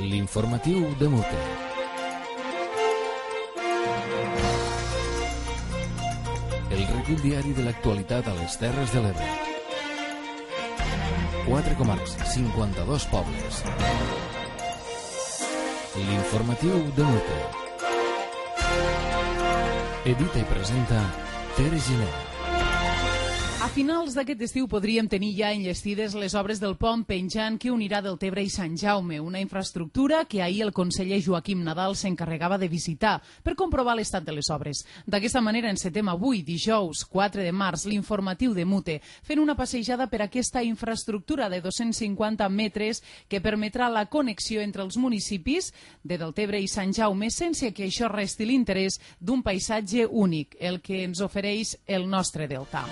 L'informatiu de Mute. El recull diari de l'actualitat a les Terres de l'Ebre. 4 comarques, 52 pobles. L'informatiu de Mute. Edita i presenta Tere Giner. A finals d'aquest estiu podríem tenir ja enllestides les obres del pont penjant que unirà Deltebre i Sant Jaume, una infraestructura que ahir el conseller Joaquim Nadal s'encarregava de visitar per comprovar l'estat de les obres. D'aquesta manera encetem avui, dijous 4 de març, l'informatiu de Mute, fent una passejada per aquesta infraestructura de 250 metres que permetrà la connexió entre els municipis de Deltebre i Sant Jaume sense que això resti l'interès d'un paisatge únic, el que ens ofereix el nostre delta.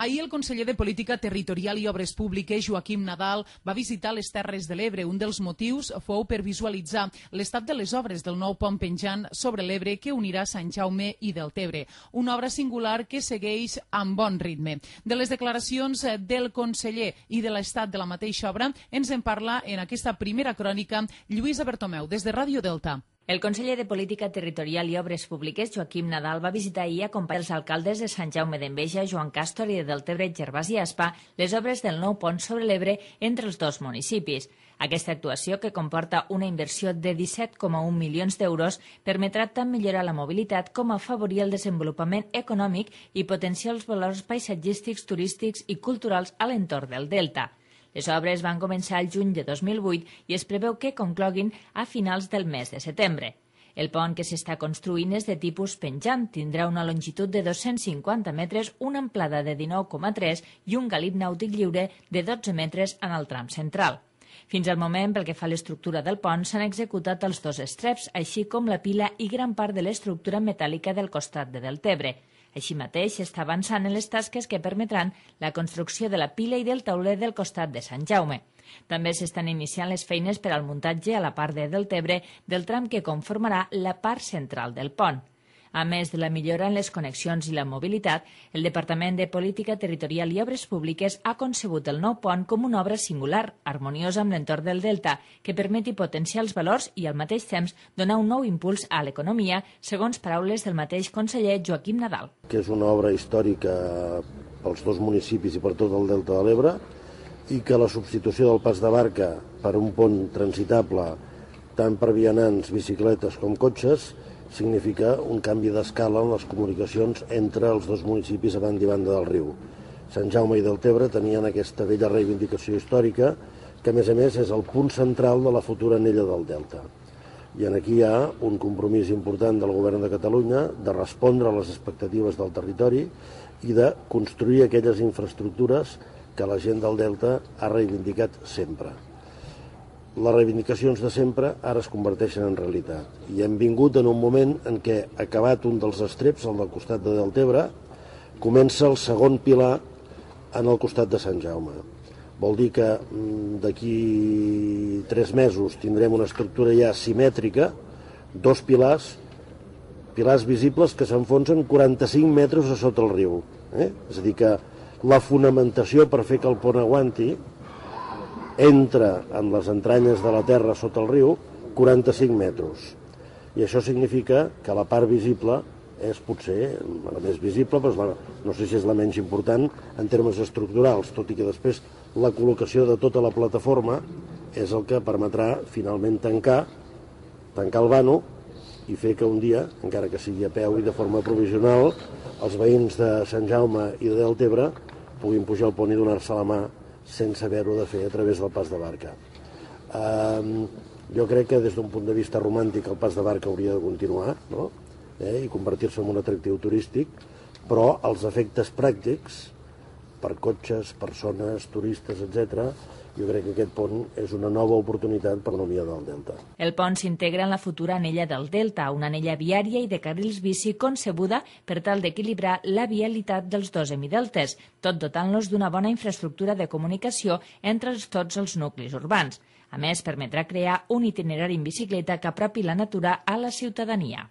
Ahir el conseller de Política Territorial i Obres Públiques, Joaquim Nadal, va visitar les Terres de l'Ebre. Un dels motius fou per visualitzar l'estat de les obres del nou pont penjant sobre l'Ebre que unirà Sant Jaume i Deltebre. Una obra singular que segueix amb bon ritme. De les declaracions del conseller i de l'estat de la mateixa obra ens en parla en aquesta primera crònica Lluïsa Bertomeu, des de Ràdio Delta. El conseller de Política Territorial i Obres Públiques, Joaquim Nadal, va visitar ahir acompanyant els alcaldes de Sant Jaume d'Enveja, Joan Càstor, i de Deltebre, Gervasi i Aspa, les obres del nou pont sobre l'Ebre entre els dos municipis. Aquesta actuació, que comporta una inversió de 17,1 milions d'euros, permetrà tant millorar la mobilitat com afavorir el desenvolupament econòmic i potenciar els valors paisatgístics, turístics i culturals a l'entorn del delta. Les obres van començar el juny de 2008 i es preveu que concloguin a finals del mes de setembre. El pont que s'està construint és de tipus penjant, tindrà una longitud de 250 metres, una amplada de 19,3 i un galip nàutic lliure de 12 metres en el tram central. Fins al moment, pel que fa a l'estructura del pont, s'han executat els dos estreps, així com la pila i gran part de l'estructura metàl·lica del costat de Deltebre. Així mateix, s'està avançant en les tasques que permetran la construcció de la pila i del tauler del costat de Sant Jaume. També s'estan iniciant les feines per al muntatge a la part de Deltebre del tram que conformarà la part central del pont. A més de la millora en les connexions i la mobilitat, el Departament de Política Territorial i Obres Públiques ha concebut el nou pont com una obra singular, harmoniosa amb l'entorn del delta, que permeti potenciar els valors i, al mateix temps, donar un nou impuls a l'economia, segons paraules del mateix conseller Joaquim Nadal. Que és una obra històrica pels dos municipis i per tot el delta de l'Ebre i que la substitució del pas de barca per un pont transitable tant per vianants, bicicletes com cotxes significa un canvi d'escala en les comunicacions entre els dos municipis a banda i banda del riu. Sant Jaume i Deltebre tenien aquesta vella reivindicació històrica que, a més, és el punt central de la futura anella del delta. I aquí hi ha un compromís important del govern de Catalunya de respondre a les expectatives del territori i de construir aquelles infraestructures que la gent del delta ha reivindicat sempre. Les reivindicacions de sempre ara es converteixen en realitat. I hem vingut en un moment en què, acabat un dels estreps, el del costat de Deltebre, comença el segon pilar en el costat de Sant Jaume. Vol dir que d'aquí 3 mesos tindrem una estructura ja simètrica, 2 pilars visibles que s'enfonsen 45 metres a sota el riu. És a dir, que la fonamentació per fer que el pont aguanti entra en les entranyes de la terra sota el riu 45 metres. I això significa que la part visible és potser la més visible, però no sé si és la menys important en termes estructurals, tot i que després la col·locació de tota la plataforma és el que permetrà finalment tancar el vano i fer que un dia, encara que sigui a peu i de forma provisional, els veïns de Sant Jaume i de Deltebre puguin pujar al pont i donar-se la mà sense haver-ho de fer a través del pas de barca. Jo crec que des d'un punt de vista romàntic el pas de barca hauria de continuar, no? I convertir-se en un atractiu turístic, però els efectes pràctics per cotxes, persones, turistes, etc., jo crec que aquest pont és una nova oportunitat per l'economia del delta. El pont s'integra en la futura anella del delta, una anella viària i de carrils bici concebuda per tal d'equilibrar la vialitat dels dos hemideltes, tot dotant-los d'una bona infraestructura de comunicació entre tots els nuclis urbans. A més, permetrà crear un itinerari en bicicleta que apropi la natura a la ciutadania.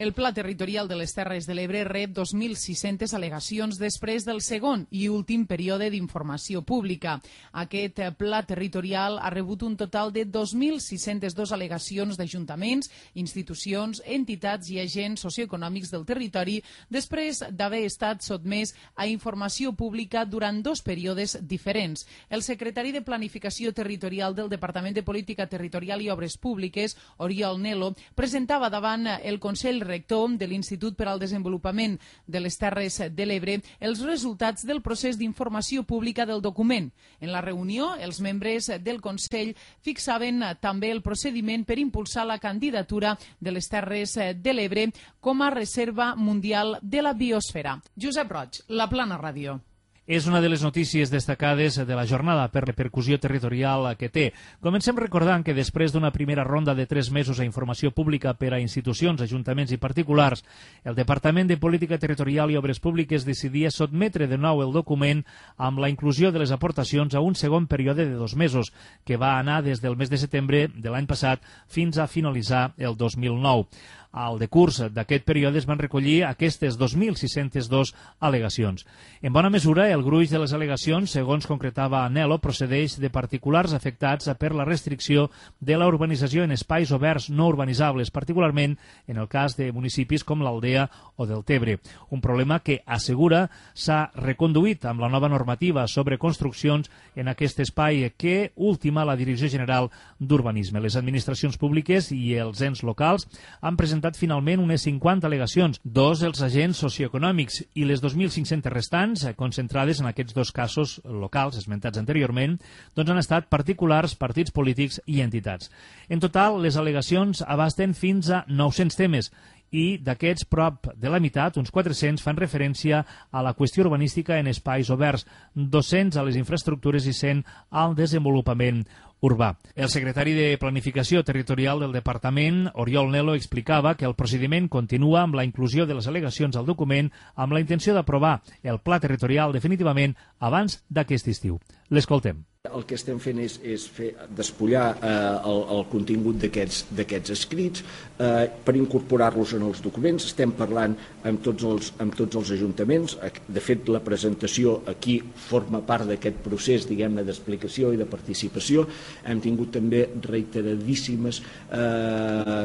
El Pla Territorial de les Terres de l'Ebre rep 2.600 al·legacions després del segon i últim període d'informació pública. Aquest Pla Territorial ha rebut un total de 2.602 al·legacions d'ajuntaments, institucions, entitats i agents socioeconòmics del territori després d'haver estat sotmès a informació pública durant 2 períodes diferents. El secretari de Planificació Territorial del Departament de Política Territorial i Obres Públiques, Oriol Nelo, presentava davant el Consell Rector de l'Institut per al Desenvolupament de les Terres de l'Ebre els resultats del procés d'informació pública del document. En la reunió, els membres del Consell fixaven també el procediment per impulsar la candidatura de les Terres de l'Ebre com a reserva mundial de la biosfera. Josep Roig, La Plana Ràdio. És una de les notícies destacades de la jornada per repercussió territorial que té. Comencem recordant que després d'una primera ronda de 3 mesos a informació pública per a institucions, ajuntaments i particulars, el Departament de Política Territorial i Obres Públiques decidia sotmetre de nou el document amb la inclusió de les aportacions a un segon període de 2 mesos, que va anar des del mes de setembre de l'any passat fins a finalitzar el 2009. Al decurs d'aquest període es van recollir aquestes 2.602 al·legacions. En bona mesura, el gruix de les al·legacions, segons concretava Nelo, procedeix de particulars afectats per la restricció de la urbanització en espais oberts no urbanitzables, particularment en el cas de municipis com l'Aldea o del Tebre. Un problema que, assegura, s'ha reconduït amb la nova normativa sobre construccions en aquest espai que ultima la Direcció General d'Urbanisme. Les administracions públiques i els ens locals han presentat finalment unes 50 al·legacions, 2 els agents socioeconòmics i les 2.500 restants, concentrades en aquests 2 casos locals esmentats anteriorment, doncs han estat particulars, partits polítics i entitats. En total, les al·legacions abasten fins a 900 temes i d'aquests prop de la meitat, uns 400, fan referència a la qüestió urbanística en espais oberts, 200 a les infraestructures i 100 al desenvolupament urbà. El secretari de Planificació Territorial del Departament, Oriol Nelo, explicava que el procediment continua amb la inclusió de les al·legacions al document amb la intenció d'aprovar el pla territorial definitivament abans d'aquest estiu. L'escoltem. El que estem fent és despullar el contingut d'aquests escrits per incorporar-los en els documents. Estem parlant amb tots els ajuntaments. De fet, la presentació aquí forma part d'aquest procés, diguem-ne, d'explicació i de participació. Hem tingut també reiteradíssimes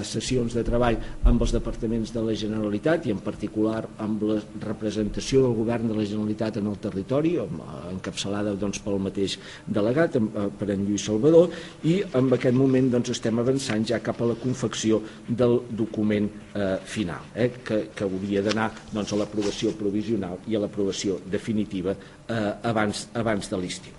sessions de treball amb els departaments de la Generalitat i en particular amb la representació del govern de la Generalitat en el territori, encapçalada pel mateix delegat, per en Lluís Salvador, i en aquest moment estem avançant ja cap a la confecció del document final, que hauria d'anar a l'aprovació provisional i a l'aprovació definitiva abans de l'estiu.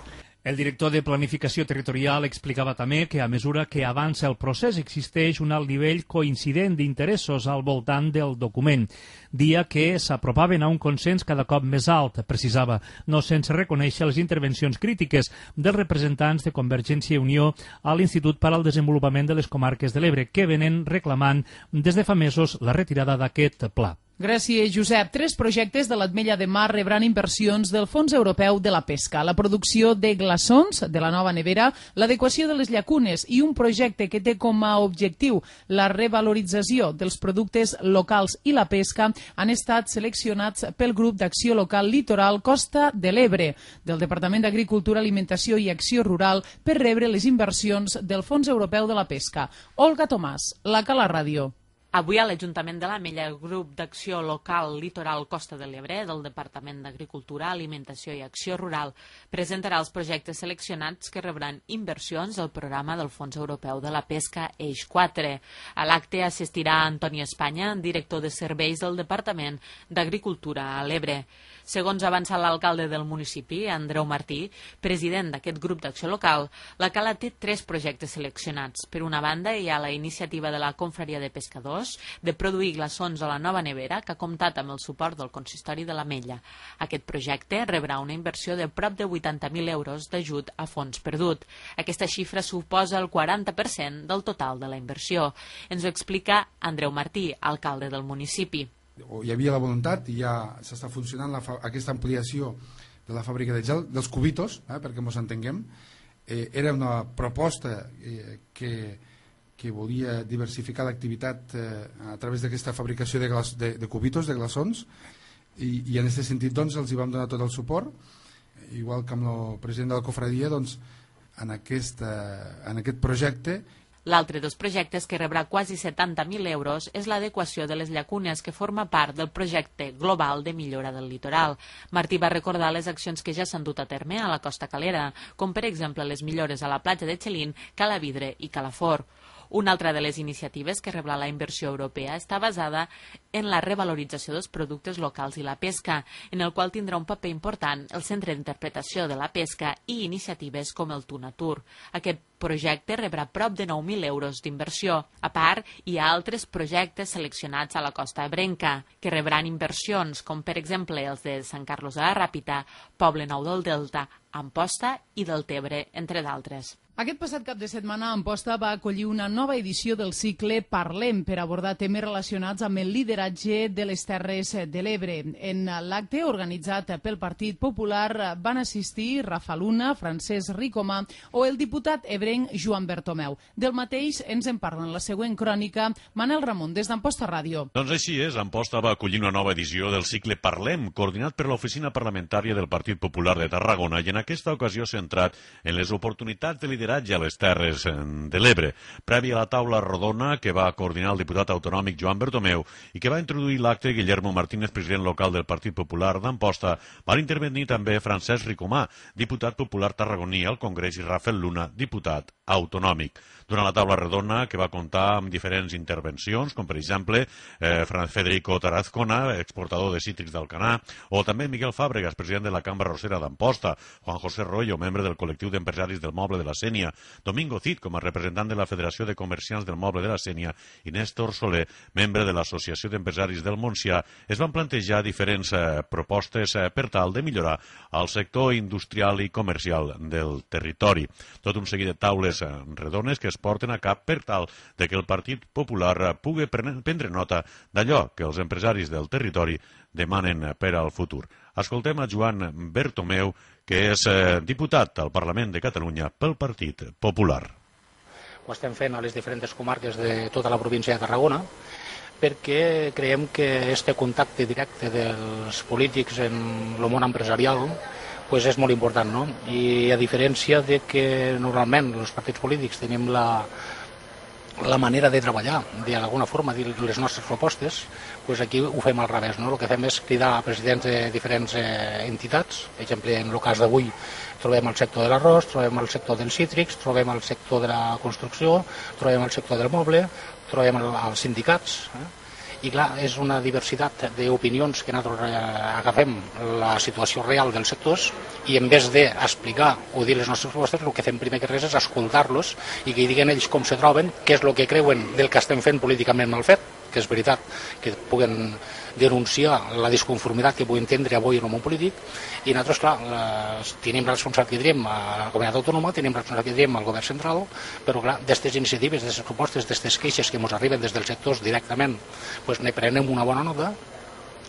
El director de Planificació Territorial explicava també que a mesura que avança el procés existeix un alt nivell coincident d'interessos al voltant del document, dia que s'apropaven a un consens cada cop més alt, precisava, no sense reconèixer les intervencions crítiques dels representants de Convergència i Unió a l'Institut per al Desenvolupament de les Comarques de l'Ebre, que venen reclamant des de fa mesos la retirada d'aquest pla. Gràcies, Josep. 3 projectes de l'Ametlla de Mar rebran inversions del Fons Europeu de la Pesca, la producció de glaçons de la nova nevera, l'adequació de les llacunes i un projecte que té com a objectiu la revalorització dels productes locals i la pesca han estat seleccionats pel grup d'acció local Litoral Costa de l'Ebre del Departament d'Agricultura, Alimentació i Acció Rural per rebre les inversions del Fons Europeu de la Pesca. Olga Tomàs, La Cala Ràdio. Avui a l'Ajuntament de l'Ametlla, el grup d'acció local Litoral Costa de l'Ebre del Departament d'Agricultura, Alimentació i Acció Rural presentarà els projectes seleccionats que rebran inversions del programa del Fons Europeu de la Pesca Eix 4. A l'acte assistirà Antoni Espanya, director de serveis del Departament d'Agricultura a l'Ebre. Segons ha avançat l'alcalde del municipi, Andreu Martí, president d'aquest grup d'acció local, la Cala té 3 projectes seleccionats. Per una banda, hi ha la iniciativa de la Confraria de Pescadors de produir glaçons a la nova nevera, que ha comptat amb el suport del consistori de l'Ametlla. Aquest projecte rebrà una inversió de prop de 80.000 euros d'ajut a fons perdut. Aquesta xifra suposa el 40% del total de la inversió. Ens ho explica Andreu Martí, alcalde del municipi. Hi havia la voluntat i ja s'està funcionant aquesta ampliació de la fàbrica de gel, dels cubitos, perquè ens entenguem. Era una proposta que que volia diversificar l'activitat a través d'aquesta fabricació de cubitos, de glaçons, i en aquest sentit doncs, els hi vam donar tot el suport, igual que amb el president de la cofradia, doncs, en aquest projecte. L'altre dels projectes, que rebrà quasi 70.000 euros, és l'adequació de les llacunes, que forma part del projecte global de millora del litoral. Martí va recordar les accions que ja s'han dut a terme a la Costa Calera, com per exemple les millores a la platja de Xelín, Calavidre i Calafort. Una altra de les iniciatives que rebrà la inversió europea està basada en la revalorització dels productes locals i la pesca, en el qual tindrà un paper important el Centre d'Interpretació de la Pesca i iniciatives com el Tunatur. Aquest projecte rebrà prop de 9.000 euros d'inversió. A part, hi ha altres projectes seleccionats a la Costa Ebrenca, que rebran inversions, com per exemple els de Sant Carlos de la Ràpita, Poble Nou del Delta, Amposta i Deltebre, entre d'altres. Aquest passat cap de setmana, Amposta va acollir una nova edició del cicle Parlem per abordar temes relacionats amb el lideratge de les Terres de l'Ebre. En l'acte organitzat pel Partit Popular van assistir Rafa Luna, Francesc Ricomà o el diputat ebrenc Joan Bertomeu. Del mateix ens en parla en la següent crònica Manel Ramon, des d'Amposta Ràdio. Doncs així és, Amposta va acollir una nova edició del cicle Parlem, coordinat per l'Oficina Parlamentària del Partit Popular de Tarragona i en aquesta ocasió centrat en les oportunitats de lideratge a les Terres de l'Ebre. Prèvia a la taula rodona que va coordinar el diputat autonòmic Joan Bertomeu i que va introduir l'acte Guillermo Martínez, president local del Partit Popular d'Amposta, van intervenir també Francesc Ricomà, diputat popular tarragoní al Congrés, i Rafael Luna, diputat autonòmic. Durant la taula redona, que va comptar amb diferents intervencions, com per exemple Federico Tarazcona, exportador de cítrics d'Alcanar, o també Miguel Fàbregas, president de la Cambra Rossera d'Amposta, Juan José Royo, membre del col·lectiu d'empresaris del Moble de la Sénia, Domingo Cid, com a representant de la Federació de Comerciants del Moble de la Sénia, i Néstor Soler, membre de l'Associació d'Empresaris del Montsià, es van plantejar diferents propostes per tal de millorar el sector industrial i comercial del territori. Tot un seguit de taules redones que es porten a cap per tal de que el Partit Popular pugui prendre nota d'allò que els empresaris del territori demanen per al futur. Escoltem a Joan Bertomeu, que és diputat al Parlament de Catalunya pel Partit Popular. Ho estem fent a les diferents comarques de tota la província de Tarragona, perquè creiem que este contacte directe dels polítics en el món empresarial pues és molt important, no? I a diferència de que normalment els partits polítics tenim la manera de treballar, d'alguna forma, dir les nostres propostes, pues aquí ho fem al revés, no? El que fem és cridar a presidents de diferents entitats. Per exemple, en el cas d'avui trobem el sector de l'arròs, trobem el sector dels cítrics, trobem el sector de la construcció, trobem el sector del moble, trobem els sindicats, i clar, és una diversitat d'opinions que nosaltres agafem la situació real dels sectors i en vez d'explicar o dir les nostres propostes, el que fem primer que res és escoltar-los i que diguen ells com se troben, què és el que creuen del que estem fent políticament mal fet, que és veritat que puguen denunciar la disconformitat que puguin tindre avui en el món polític, i nosaltres, clar, tenim la responsabilitat que tenim a la comunitat autònoma, tenim la responsabilitat que tenim al govern central, però clar, d'aquestes iniciatives, d'aquestes propostes, d'aquestes queixes que ens arriben des dels sectors directament, doncs ne prenem una bona nota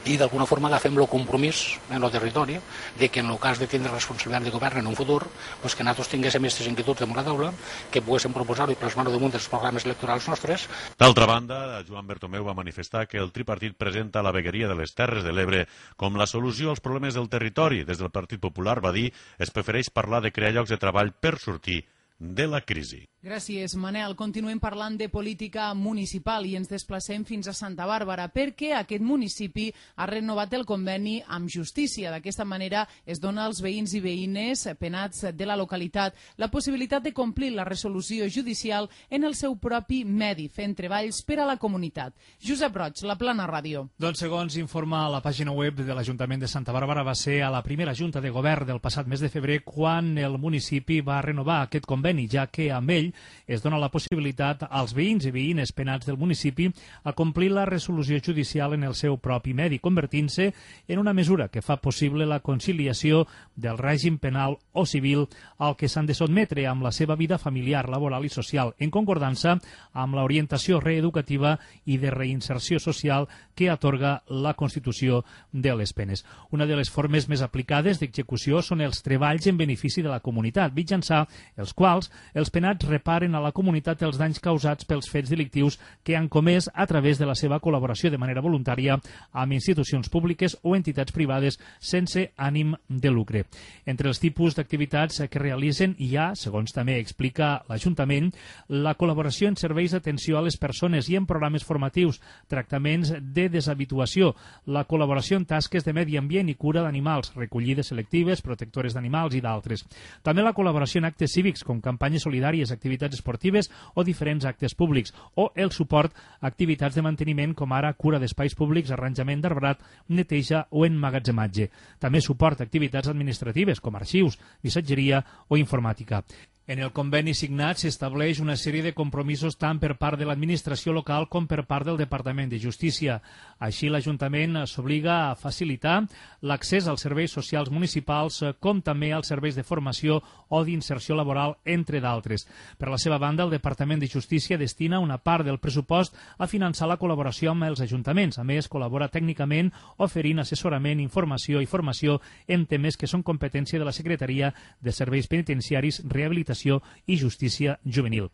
i d'alguna forma agafem el compromís en el territori de que en el cas de tindre responsabilitat de govern en un futur, doncs que nosaltres tinguéssim aquestes inquietuds damunt la taula, que poguéssim proposar-ho i plasmar-ho damunt dels programes electorals nostres. D'altra banda, Joan Bertomeu va manifestar que el tripartit presenta la vegueria de les Terres de l'Ebre com la solució als problemes del territori. Des del Partit Popular, va dir, es prefereix parlar de crear llocs de treball per sortir de la crisi. Gràcies, Manel. Continuem parlant de política municipal i ens desplacem fins a Santa Bàrbara perquè aquest municipi ha renovat el conveni amb Justícia. D'aquesta manera es dona als veïns i veïnes penats de la localitat la possibilitat de complir la resolució judicial en el seu propi medi, fent treballs per a la comunitat. Josep Roig, La Plana Ràdio. Doncs segons informa la pàgina web de l'Ajuntament de Santa Bàrbara, va ser a la primera junta de govern del passat mes de febrer quan el municipi va renovar aquest conveni, ja que amb ell es dona la possibilitat als veïns i veïnes penats del municipi a complir la resolució judicial en el seu propi medi, convertint-se en una mesura que fa possible la conciliació del règim penal o civil al que s'han de sotmetre amb la seva vida familiar, laboral i social, en concordança amb l'orientació reeducativa i de reinserció social que atorga la Constitució de les penes. Una de les formes més aplicades d'execució són els treballs en benefici de la comunitat, mitjançant els quals tribunals, els penats reparen a la comunitat els danys causats pels fets delictius que han comès a través de la seva col·laboració de manera voluntària amb institucions públiques o entitats privades sense ànim de lucre. Entre els tipus d'activitats que realitzen hi ha, segons també explica l'Ajuntament, la col·laboració en serveis d'atenció a les persones i en programes formatius, tractaments de deshabituació, la col·laboració en tasques de medi ambient i cura d'animals, recollides selectives, protectores d'animals i d'altres. També la col·laboració en actes cívics, com campanyes solidàries, activitats esportives o diferents actes públics, o el suport a activitats de manteniment com ara cura d'espais públics, arranjament d'arbrat, neteja o emmagatzematge. També suport a activitats administratives com arxius, missatgeria o informàtica. En el conveni signat s'estableix una sèrie de compromisos tant per part de l'administració local com per part del Departament de Justícia. Així, l'Ajuntament s'obliga a facilitar l'accés als serveis socials municipals com també als serveis de formació o d'inserció laboral, entre d'altres. Per la seva banda, el Departament de Justícia destina una part del pressupost a finançar la col·laboració amb els ajuntaments. A més, col·labora tècnicament oferint assessorament, informació i formació en temes que són competència de la Secretaria de Serveis Penitenciaris, Rehabilitació i Justícia Juvenil.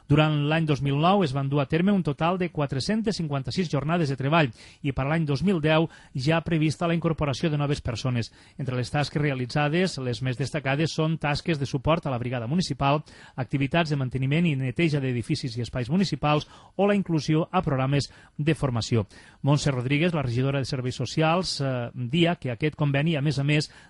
Durant l'any 2009 es van dur a terme un total de 456 jornades de treball i per l'any 2010 ja ha prevista la incorporació de noves persones. Entre les tasques realitzades, les més destacades són tasques de suport a la brigada municipal, activitats de manteniment i neteja d'edificis i espais municipals o la inclusió a programes de formació. Montse Rodríguez, la regidora de Serveis Socials, dia que aquest conveni, a més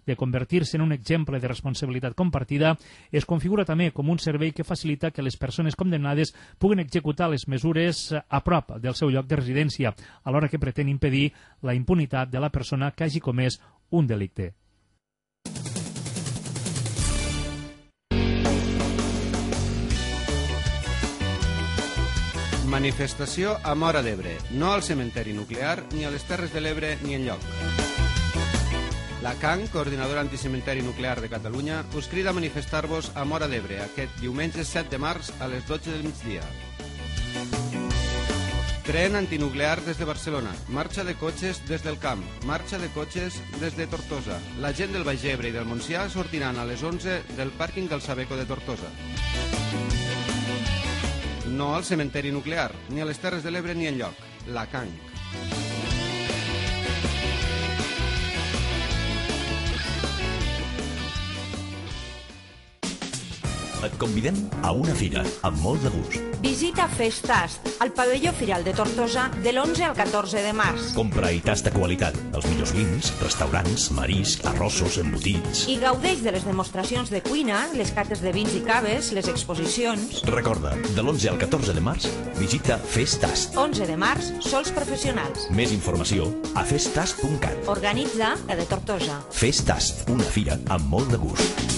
de convertir-se en un exemple de responsabilitat compartida, es configura també com un servei que facilita que les persones condemnades puguen executar les mesures a prop del seu lloc de residència, alhora que pretén impedir la impunitat de la persona que hagi comès un delicte. Manifestació a Móra d'Ebre, no al cementeri nuclear, ni a les Terres de l'Ebre ni enlloc. La CAN, Coordinadora Anticementeri Nuclear de Catalunya, us crida a manifestar-vos a Móra d'Ebre aquest diumenge 7 de març a les 12 del migdia. Tren antinuclear des de Barcelona, marxa de cotxes des del camp, marxa de cotxes des de Tortosa. La gent del Baix Ebre i del Montsià sortiran a les 11 del pàrquing del Sabeco de Tortosa. No al cementeri nuclear, ni a les Terres de l'Ebre ni enlloc. La CAN. Et convidem a una fira amb molt de gust. Visita Festast, al pavelló Firal de Tortosa, de l'11 al 14 de març. Compra i tasta qualitat, els millors vins, restaurants, marisc, arrossos, embotits. I gaudeix de les demostracions de cuina, les cates de vins i caves, les exposicions. Recorda, de l'11 al 14 de març, visita Festast. 11 de març, sols professionals. Més informació a festast.cat. Organitza la de Tortosa. Festast, una fira amb molt de gust.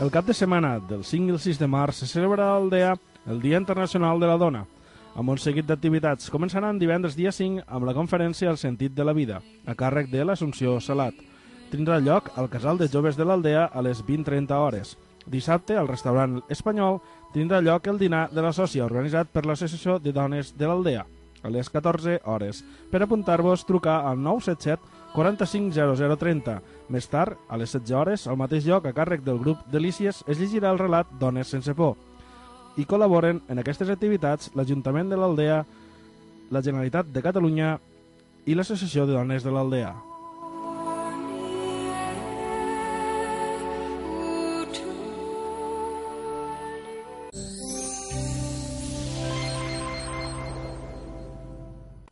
El cap de setmana del 5 i el 6 de març se celebrarà a Aldea el Dia Internacional de la Dona, amb un seguit d'activitats. Començaran divendres dia 5 amb la conferència El sentit de la vida, a càrrec de l'Assumpció Salat. Tindrà lloc al Casal de Joves de l'Aldea a les 20:30 hores. Dissabte, al restaurant Espanyol, tindrà lloc el dinar de la sòcia organitzat per l'Associació de Dones de l'Aldea, a les 14 hores. Per apuntar-vos, trucar al 977 45 0030. Més tard, a les 16 hores, al mateix lloc, a càrrec del grup Delícies, es llegirà el relat Dones sense por. I col·laboren en aquestes activitats l'Ajuntament de l'Aldea, la Generalitat de Catalunya i l'Associació de Dones de l'Aldea.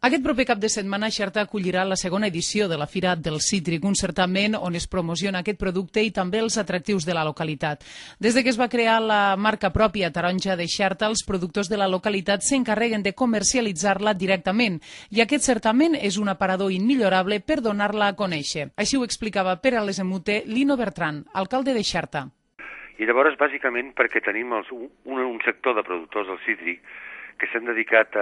Aquest proper cap de setmana Xerta acollirà la segona edició de la Fira del Cítric, un certament on es promociona aquest producte i també els atractius de la localitat. Des de que es va crear la marca pròpia taronja de Xerta, els productors de la localitat s'encarreguen de comercialitzar-la directament i aquest certament és un aparador immillorable per donar-la a conèixer. Així ho explicava per a l'Esemute Lino Bertran, alcalde de Xerta. I llavors, bàsicament, perquè tenim un sector de productors del cítric que s'han dedicat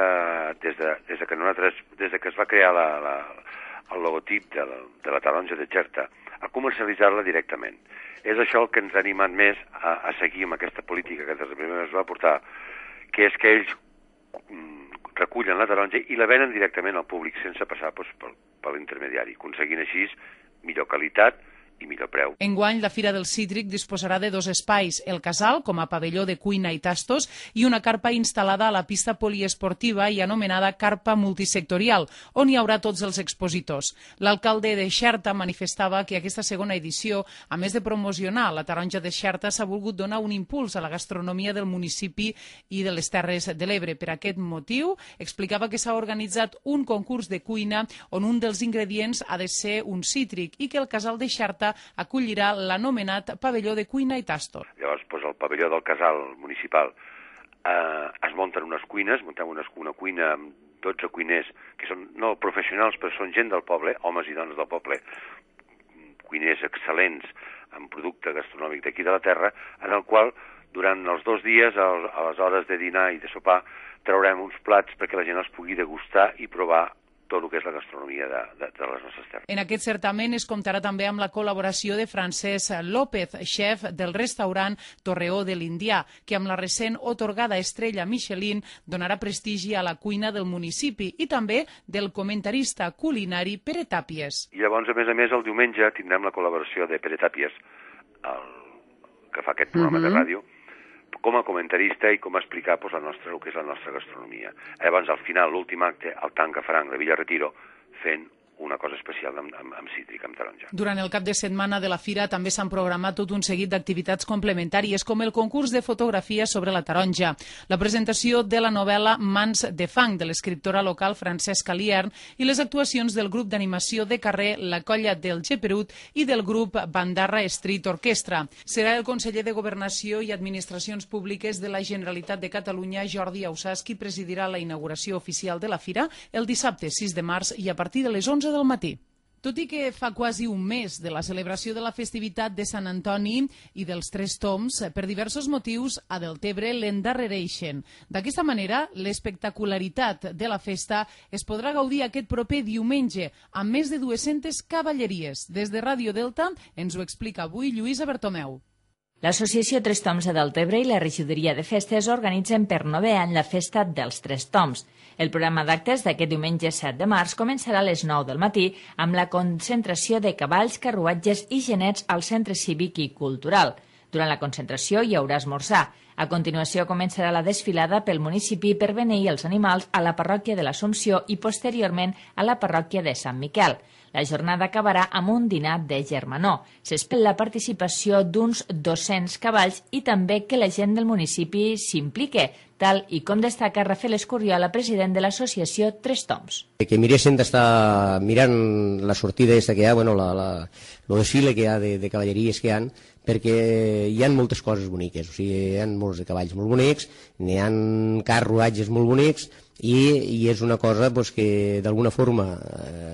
des que es va crear el logotip de la taronja de Xerta a comercialitzar-la directament. És això el que ens ha animat més a seguir amb aquesta política que des de primer es va portar, que és que ells recullen la taronja i la venen directament al públic sense passar per l'intermediari, aconseguint així millor qualitat i millor preu. Enguany, la Fira del Cítric disposarà de 2 espais, el Casal, com a pavelló de cuina i tastos, i una carpa instal·lada a la pista poliesportiva i anomenada carpa multisectorial, on hi haurà tots els expositors. L'alcalde de Xerta manifestava que aquesta segona edició, a més de promocionar la taronja de Xerta, s'ha volgut donar un impuls a la gastronomia del municipi i de les Terres de l'Ebre. Per aquest motiu, explicava que s'ha organitzat un concurs de cuina on un dels ingredients ha de ser un cítric i que el Casal de Xerta acollirà l'anomenat pavelló de cuina i tastos. Llavors, al pavelló del Casal municipal es munten unes cuines, muntem una cuina amb 12 cuiners, que són no professionals, però són gent del poble, homes i dones del poble, cuiners excel·lents en producte gastronòmic d'aquí de la terra, en el qual, durant els 2 dies, a les hores de dinar i de sopar, traurem uns plats perquè la gent els pugui degustar i provar tot el que és la gastronomia de les nostres terres. En aquest certament es comptarà també amb la col·laboració de Francesc López, xef del restaurant Torreó de l'Indià, que amb la recent otorgada estrella Michelin donarà prestigi a la cuina del municipi i també del comentarista culinari Pere Tàpies. I llavors, a més, el diumenge tindrem la col·laboració de Pere Tàpies, que fa aquest programa de ràdio, com a comentarista i com a explicar el que és la nostra gastronomia. Llavors, al final, l'últim acte, el Tanca Franc de Villa Retiro, fent una cosa especial amb cítric, amb taronja. Durant el cap de setmana de la fira també s'han programat tot un seguit d'activitats complementàries, com el concurs de fotografia sobre la taronja, la presentació de la novel·la Mans de fang, de l'escriptora local Francesca Liern, i les actuacions del grup d'animació de carrer La Colla del Geperut i del grup Bandarra Street Orquestra. Serà el conseller de Governació i Administracions Públiques de la Generalitat de Catalunya, Jordi Ausàs, qui presidirà la inauguració oficial de la fira el dissabte 6 de març i a partir de les 11 del matí. Tot i que fa quasi un mes de la celebració de la festivitat de Sant Antoni i dels Tres Tombs, per diversos motius a Deltebre l'endarrereixen. D'aquesta manera, l'espectacularitat de la festa es podrà gaudir aquest proper diumenge amb més de 200 cavalleries. Des de Ràdio Delta ens ho explica avui Lluïsa Bertomeu. L'Associació Tres Tombs de Deltebre i la Regidoria de Festes organitzen per 9è any la Festa dels Tres Tombs. El programa d'actes d'aquest diumenge 7 de març començarà a les 9 del matí amb la concentració de cavalls, carruatges i genets al Centre Cívic i Cultural. Durant la concentració hi haurà esmorzar. A continuació començarà la desfilada pel municipi per beneir els animals a la parròquia de l'Assumpció i posteriorment a la parròquia de Sant Miquel. La jornada acabarà amb un dinar de germanor. S'espera la participació d'uns 200 cavalls i també que la gent del municipi s'implique, tal i com destaca Rafael Escurriola, president de l'associació Tres Tombs. Que miressin d'estar mirant la sortida aquesta que hi ha, el desfile que hi ha de cavalleries que hi ha, perquè hi ha moltes coses boniques, o sigui, hi ha molts de cavalls molt bonics, n'hi ha carruatges molt bonics, i és una cosa que d'alguna forma,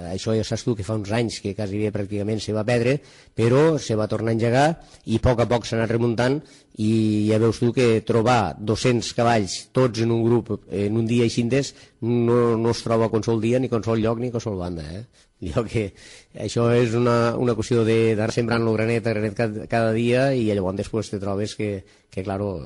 això ja saps tu que fa uns anys que quasi pràcticament se va perdre, però se va tornar a engegar i a poc s'ha anat remuntant i ja veus tu que trobar 200 cavalls tots en un grup en un dia així no es troba a qualsevol dia, ni a qualsevol lloc, ni a qualsevol banda. Que això és una qüestió d'anar sembrant el granet cada dia i llavors després te trobes que claro,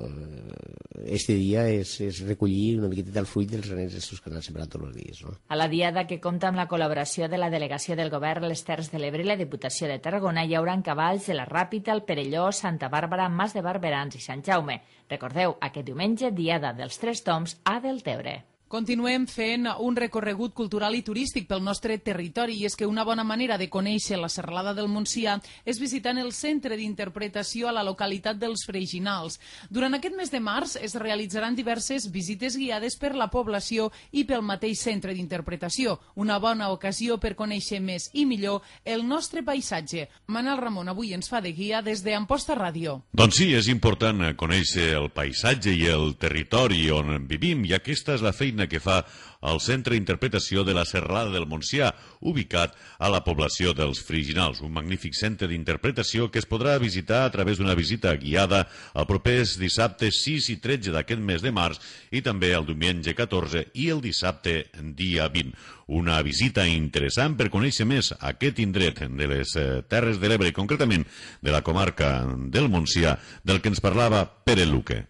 este dia és recollir una miqueta del fruit dels granets que han sembrat tots els dies. No? A la diada, que compta amb la col·laboració de la Delegació del Govern a les Terres de l'Ebre i la Diputació de Tarragona, hi haurà cavalls de la Ràpita, el Perelló, Santa Bàrbara, Mas de Barberans i Sant Jaume. Recordeu, aquest diumenge, diada dels Tres Tombs a Deltebre. Continuem fent un recorregut cultural i turístic pel nostre territori i és que una bona manera de conèixer la Serralada del Montsià és visitant el Centre d'Interpretació a la localitat dels Freginals. Durant aquest mes de març es realitzaran diverses visites guiades per la població i pel mateix Centre d'Interpretació, una bona ocasió per conèixer més i millor el nostre paisatge. Manel Ramon avui ens fa de guia des d'Amposta Ràdio. Doncs sí, és important conèixer el paisatge i el territori on vivim i aquesta és la feina que fa el Centre d'Interpretació de la Serralada del Montsià, ubicat a la població dels Freginals, un magnífic centre d'interpretació que es podrà visitar a través d'una visita guiada el propers dissabtes 6 i 13 d'aquest mes de març i també el diumenge 14 i el dissabte dia 20. Una visita interessant per conèixer més aquest indret de les Terres de l'Ebre, concretament de la comarca del Montsià, del que ens parlava Pere Luque.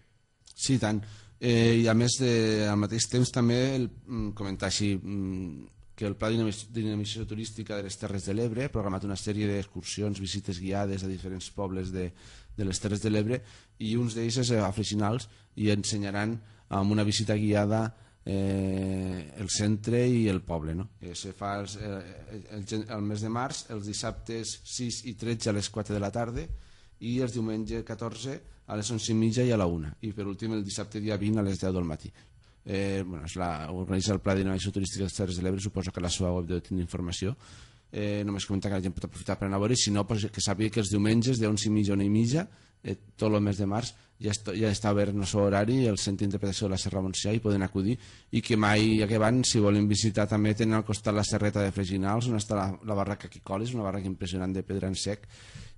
Sí, tant. I a més, al mateix temps també comentar així que el Pla de Dinamització Turística de les Terres de l'Ebre ha programat una sèrie d'excursions, visites guiades a diferents pobles de les Terres de l'Ebre, i uns d'ells és a Freginals, i ensenyaran amb una visita guiada el centre i el poble, no? Se fa el mes de març, els dissabtes 6 i 13 a les 4 de la tarda, i els diumenge 14 a les 11:30 i a la 1, i per últim el dissabte dia 20 a les 10 del matí. Organitza el Pla de Dinamització Turística de les Terres de l'Ebre, suposo que a la seva web deu tenir informació. Només comentar que la gent pot aprofitar per anar a veure, si no, que sàpiga que els diumenges de 11:30 a 1:30 tot el mes de març ja està obert el seu horari, el Centre d'Interpretació de la Serra Montsià, i poden acudir, i que mai que van, si volen visitar, també tenen al costat la serreta de Freginals, on està la barraca Quicoles, una barraca impressionant de pedra en sec,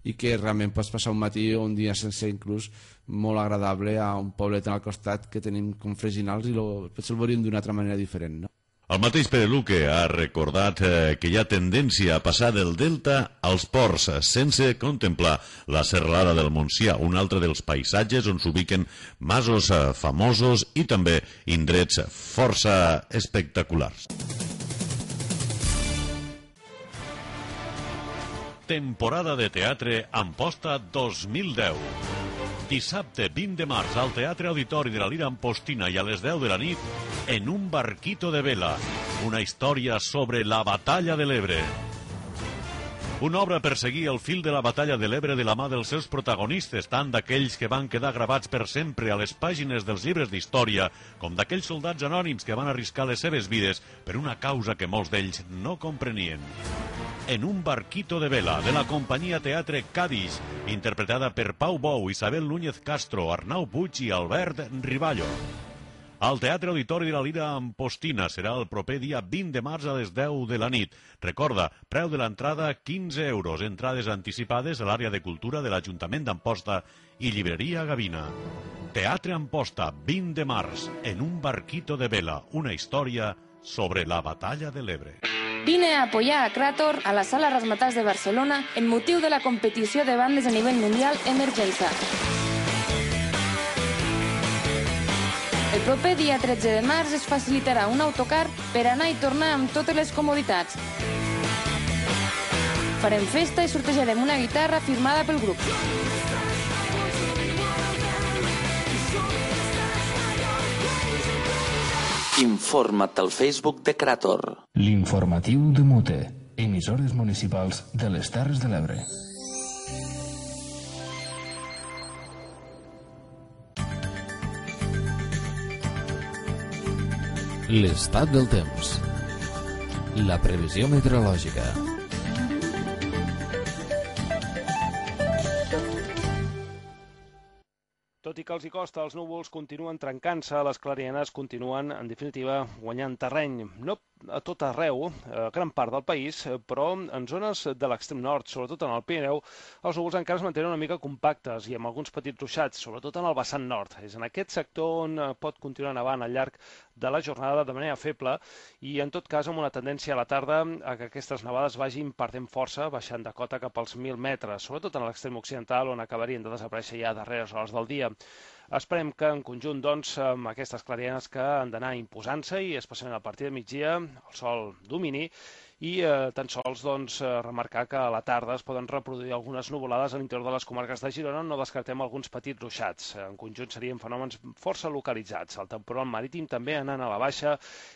i que realment pots passar un matí o un dia sense inclús molt agradable a un poblet al costat que tenim com Freginals, i potser el veuríem d'una altra manera diferent, no? El mateix Pere Luque ha recordat que hi ha tendència a passar del delta als ports sense contemplar la serralada del Montsià, un altre dels paisatges on s'ubiquen masos famosos i també indrets força espectaculars. Temporada de teatre Amposta 2010. Dissabte 20 de març al Teatre Auditori de la Lira Ampostina i a les 10 de la nit, En un barquito de vela, una història sobre la batalla de l'Ebre. Una obra per seguir el fil de la batalla de l'Ebre de la mà dels seus protagonistes, tant d'aquells que van quedar gravats per sempre a les pàgines dels llibres d'història, com d'aquells soldats anònims que van arriscar les seves vides per una causa que molts d'ells no comprenien. En un barquito de vela, de la companyia Teatre Cádiz, interpretada per Pau Bou, Isabel Núñez Castro, Arnau Puig i Albert Riballo. Al Teatre Auditori de la Lira Ampostina serà el proper dia 20 de març a les 10 de la nit. Recorda, preu de l'entrada 15 euros, entrades anticipades a l'àrea de cultura de l'Ajuntament d'Amposta i llibreria Gavina. Teatre Amposta, 20 de març, En un barquito de vela, una història sobre la batalla de l'Ebre. Vine a apoyar a Krator a la Sala Razzmatazz de Barcelona en motiu de la competició de bandes a nivell mundial Emergenza. El proper dia 13 de març es facilitarà un autocar per anar i tornar amb totes les comoditats. Farem festa i sortejarem una guitarra firmada pel grup. Informa't al Facebook de Krator. L'informatiu de Mute, emissores municipals de les Terres de l'Ebre. L'estat del temps. La previsió meteorològica. Tot i que els hi costa, els núvols continuen trencant-se, les clarianes continuen, en definitiva, guanyant terreny. No a tot arreu, a gran part del país, però en zones de l'extrem nord, sobretot en el Pirineu, els núvols encara es mantenen una mica compactes i amb alguns petits ruixats, sobretot en el vessant nord. És en aquest sector on pot continuar nevant al llarg de la jornada de manera feble i, en tot cas, amb una tendència a la tarda a que aquestes nevades vagin perdent força, baixant de cota cap als 1.000 metres, sobretot en l'extrem occidental, on acabarien de desaparèixer ja a darreres hores del dia. Esperem que en conjunt, doncs, amb aquestes clarianes que han d'anar imposant-se i especialment a partir de migdia el sol domini i tan sols remarcar que a la tarda es poden reproduir algunes nuvolades a l'interior de les comarques de Girona, no descartem alguns petits ruixats. En conjunt serien fenòmens força localitzats. El temporal marítim també anant a la baixa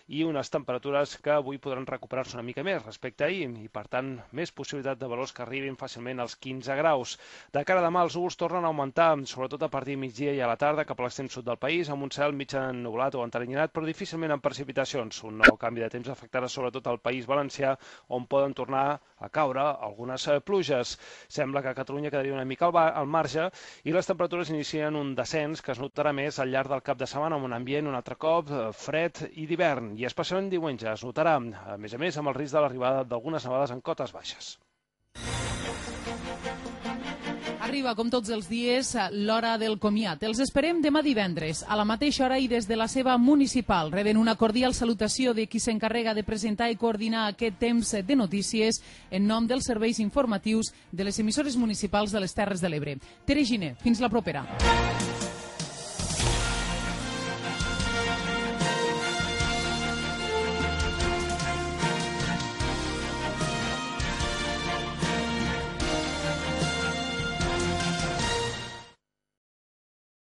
i unes temperatures que avui podran recuperar-se una mica més respecte a ahir i, per tant, més possibilitat de valors que arribin fàcilment als 15 graus. De cara a demà, els núvols tornen a augmentar, sobretot a partir de migdia i a la tarda, cap a l'extrem sud del país, amb un cel mig ennuvolat o enteranyinat, però difícilment amb precipitacions. Un nou canvi de temps afectarà sobretot al País Valencià, on poden tornar a caure algunes pluges. Sembla que a Catalunya quedaria una mica al marge i les temperatures inicien un descens que es notarà més al llarg del cap de setmana amb un ambient un altre cop fred i d'hivern, i especialment diumenge es notarà, a més amb el risc de l'arribada d'algunes nevades en cotes baixes. Arriba, com tots els dies, l'hora del comiat. Els esperem demà divendres, a la mateixa hora i des de la seva municipal. Reben una cordial salutació de qui s'encarrega de presentar i coordinar aquest temps de notícies en nom dels serveis informatius de les emissores municipals de les Terres de l'Ebre. Tere Giner, fins la propera.